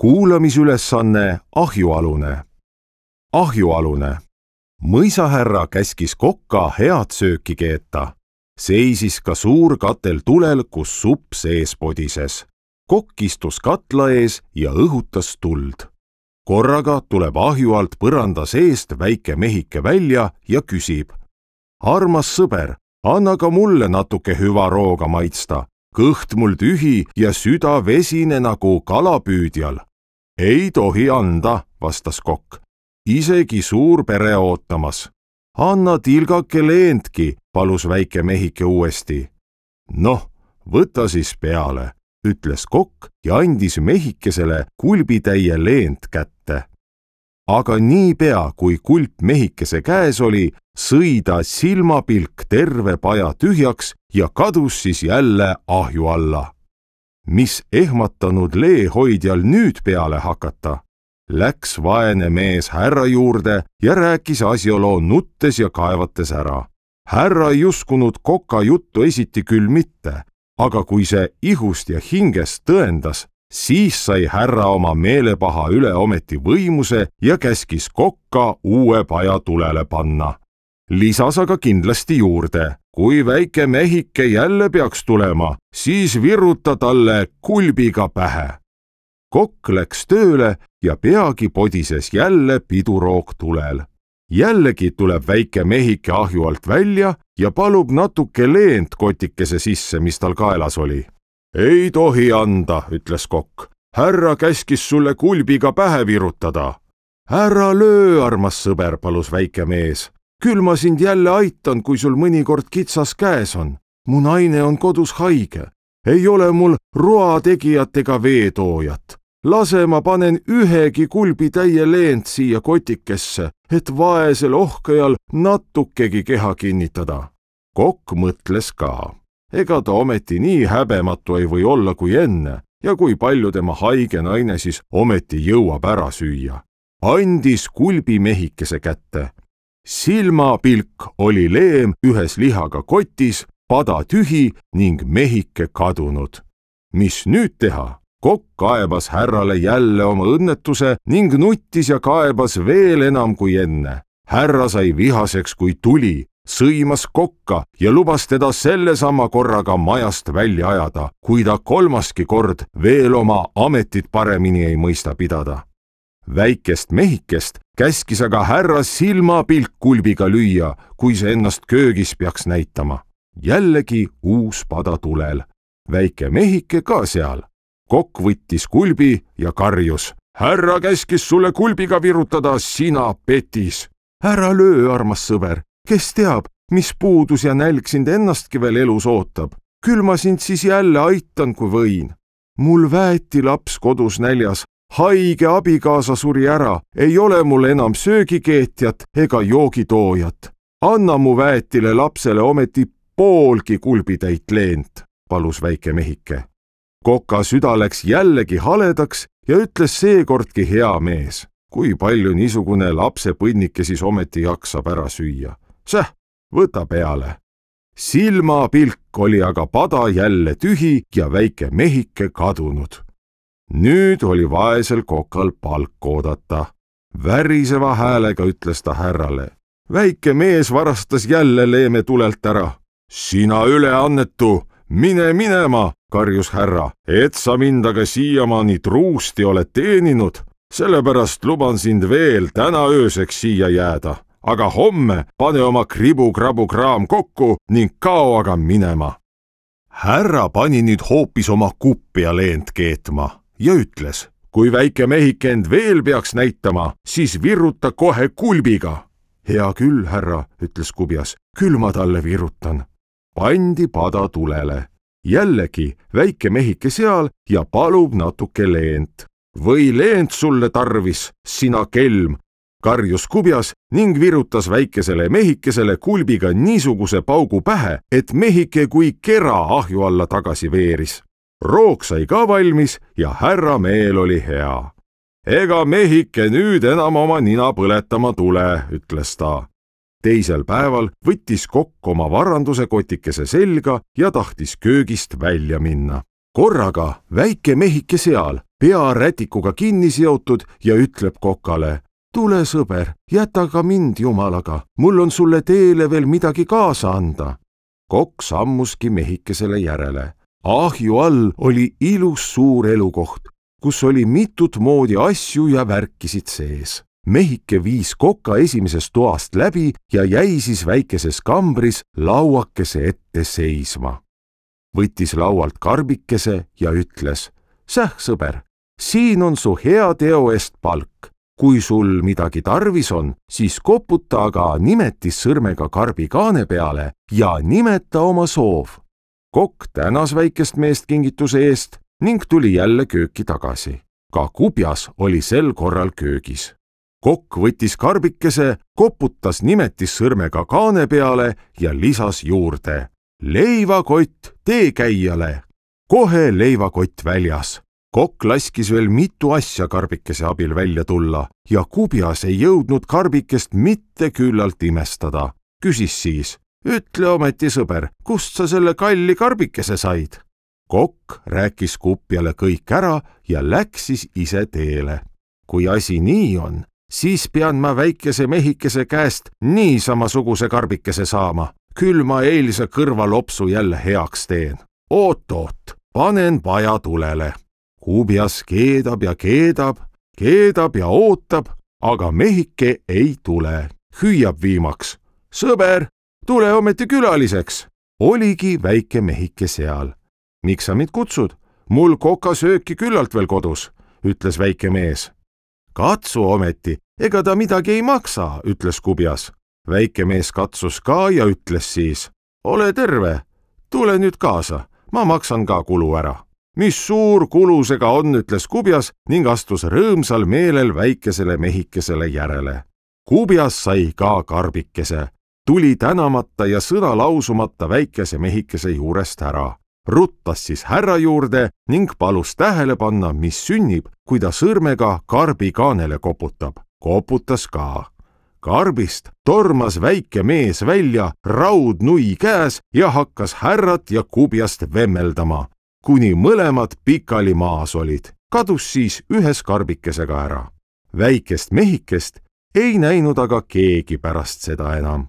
kuulamisülesanne ahjualune. Ahjualune. Mõisahärra käskis kokka head sööki keeta. Seisis ka suur katel tulel, kus supp sees podises. Kokk istus katla ees ja õhutas tuld. Korraga tuleb ahju alt põranda seest väike mehike välja ja küsib. Armas sõber, anna ka mulle natuke hüva rooga maitsta. Kõht mul tühi ja süda vesine nagu kalapüüdjal. Ei tohi anda, vastas kokk. Isegi suur pere ootamas. Anna tilgake leentki, palus väike mehike uuesti. Noh, võta siis peale, ütles kokk ja andis mehikesele kulbitäie leent kätte. Aga niipea, kui kulp mehikese käes oli, sõi ta silmapilk terve paja tühjaks ja kadus siis jälle ahju alla. Mis ehmatanud leehoidjal nüüd peale hakata? Läks vaene mees härra juurde ja rääkis asjaloo nuttes ja kaevates ära. Härra ei uskunud koka juttu esiti küll mitte, aga kui see ihust ja hingest tõendas, siis sai härra oma meelepaha üle ometi võimuse ja käskis kokka uue paja tulele panna. Lisas aga kindlasti juurde, kui väike mehike jälle peaks tulema, siis viruta talle kulbiga pähe. Kokk läks tööle ja peagi podises jälle piduroog tulel. Jällegi tuleb väike mehike ahju alt välja ja palub natuke leent kotikese sisse, mis tal kaelas oli. Ei tohi anda, ütles kokk. Härra käskis sulle kulbiga pähe virutada. Ära löö, armas sõber, palus väike mees. Küll ma sind jälle aitan, kui sul mõnikord kitsas käes on. Mu naine on kodus haige. Ei ole mul roategijat ega veetoojat. Lase ma panen ühegi kulbitäie leent siia kotikesse, et vaesel ohkajal natukegi keha kinnitada. Kokk mõtles ka. Ega ta ometi nii häbematu ei või olla kui enne ja kui palju tema haige naine siis ometi jõuab ära süüa. Andis kulbi mehikese kätte. Silmapilk oli leem ühes lihaga kotis, pada tühi ning mehike kadunud. Mis nüüd teha? Kokk kaebas härrale jälle oma õnnetuse ning nuttis ja kaebas veel enam kui enne. Härra sai vihaseks kui tuli, sõimas kokka ja lubas teda sellesama korraga majast välja ajada, kui ta kolmaski kord veel oma ametit paremini ei mõista pidada. Väikest mehikest käskis aga härra silmapilk kulbiga lüüa, kui see ennast köögis peaks näitama. Jällegi uus pada tulel. Väike mehike ka seal. Kokk võttis kulbi ja karjus. Härra käskis sulle kulbiga virutada, sina petis. Ära löö, armas sõber. Kes teab, mis puudus ja nälg sind ennastki veel elus ootab. Küll ma sind siis jälle aitan, kui võin. Mul väeti laps kodus näljas. Haige abikaasa suri ära, ei ole mul enam söögikeetjat ega joogitoojat. Anna mu väetile lapsele ometi poolgi kulbitäit leent, palus väike mehike. Koka süda läks jällegi haledaks ja ütles seekordki hea mees. Kui palju niisugune lapse põnnike siis ometi jaksab ära süüa? Säh, võta peale. Silmapilk oli aga pada jälle tühi ja väike mehike kadunud. Nüüd oli vaesel kokal palk oodata. Väriseva häälega ütles ta härrale. Väike mees varastas jälle leeme tulelt ära. Sina üleannetu, mine minema, karjus härra, et sa mind aga siiamaani truusti oled teeninud. Sellepärast luban sind veel täna ööseks siia jääda. Aga homme pane oma kribu-krabu-kraam kokku ning kao aga minema. Härra pani nüüd hoopis oma kuppia leent keetma ja ütles, kui väike mehike end veel peaks näitama, siis viruta kohe kulbiga. Hea küll, härra, ütles kubjas, küll ma talle virutan. Pandi pada tulele. Jällegi väike mehike seal ja palub natuke leent. Või leent sulle tarvis, sina kelm, karjus kubjas ning virutas väikesele mehikesele kulbiga niisuguse paugu pähe, et mehike kui kera ahju alla tagasi veeris. Roog sai ka valmis ja härra meel oli hea. Ega mehike nüüd enam oma nina põletama tule, ütles ta. Teisel päeval võttis kokk oma varanduse kotikese selga ja tahtis köögist välja minna. Korraga väike mehike seal, pea rätikuga kinni seotud ja ütleb kokale: tule, sõber, jäta ka mind jumalaga, mul on sulle teele veel midagi kaasa anda. Kokk sammuski mehikesele järele. Ahju all oli ilus suur elukoht, kus oli mitut moodi asju ja värkisid sees. Mehike viis koka esimesest toast läbi ja jäi siis väikeses kambris lauakese ette seisma. Võttis laualt karbikese ja ütles: säh, sõber, siin on su hea teo eest palk. Kui sul midagi tarvis on, siis koputa aga nimetissõrmega karbi kaane peale ja nimeta oma soov. Kokk tänas väikest meest kingituse eest ning tuli jälle kööki tagasi. Ka kubjas oli sel korral köögis. Kokk võttis karbikese, koputas nimetissõrmega kaane peale ja lisas juurde: leivakott teekäijale. Kohe leivakott väljas. Kokk laskis veel mitu asja karbikese abil välja tulla ja kubjas ei jõudnud karbikest mitte küllalt imestada. Küsis siis: ütle ometi, sõber, kust sa selle kalli karbikese said? Kokk rääkis kupjale kõik ära ja läks siis ise teele. Kui asi nii on, siis pean ma väikese mehikese käest niisamasuguse karbikese saama. Küll ma eilse kõrvalopsu jälle heaks teen. Oot, panen paja tulele. Kubjas keedab ja keedab, keedab ja ootab, aga mehike ei tule. Hüüab viimaks: sõber, tule ometi külaliseks. Oligi väike mehike seal. Miks sa mind kutsud? Mul kokasööki küllalt veel kodus, ütles väike mees. Katsu ometi, ega ta midagi ei maksa, ütles kubjas. Väike mees katsus ka ja ütles siis: ole terve, tule nüüd kaasa, ma maksan ka kulu ära. Mis suur kulu see ka on, ütles kubjas ning astus rõõmsal meelel väikesele mehikesele järele. Kubjas sai ka karbikese, tuli tänamata ja sõna lausumata väikese mehikese juurest ära. Ruttas siis härra juurde ning palus tähele panna, mis sünnib, kui ta sõrmega karbi kaanele koputab. Koputas ka. Karbist tormas väike mees välja raudnui käes ja hakkas härrat ja kubjast vemmeldama, kuni mõlemad pikali maas olid. Kadus siis ühes karbikesega ära. Väikest mehikest ei näinud aga keegi pärast seda enam.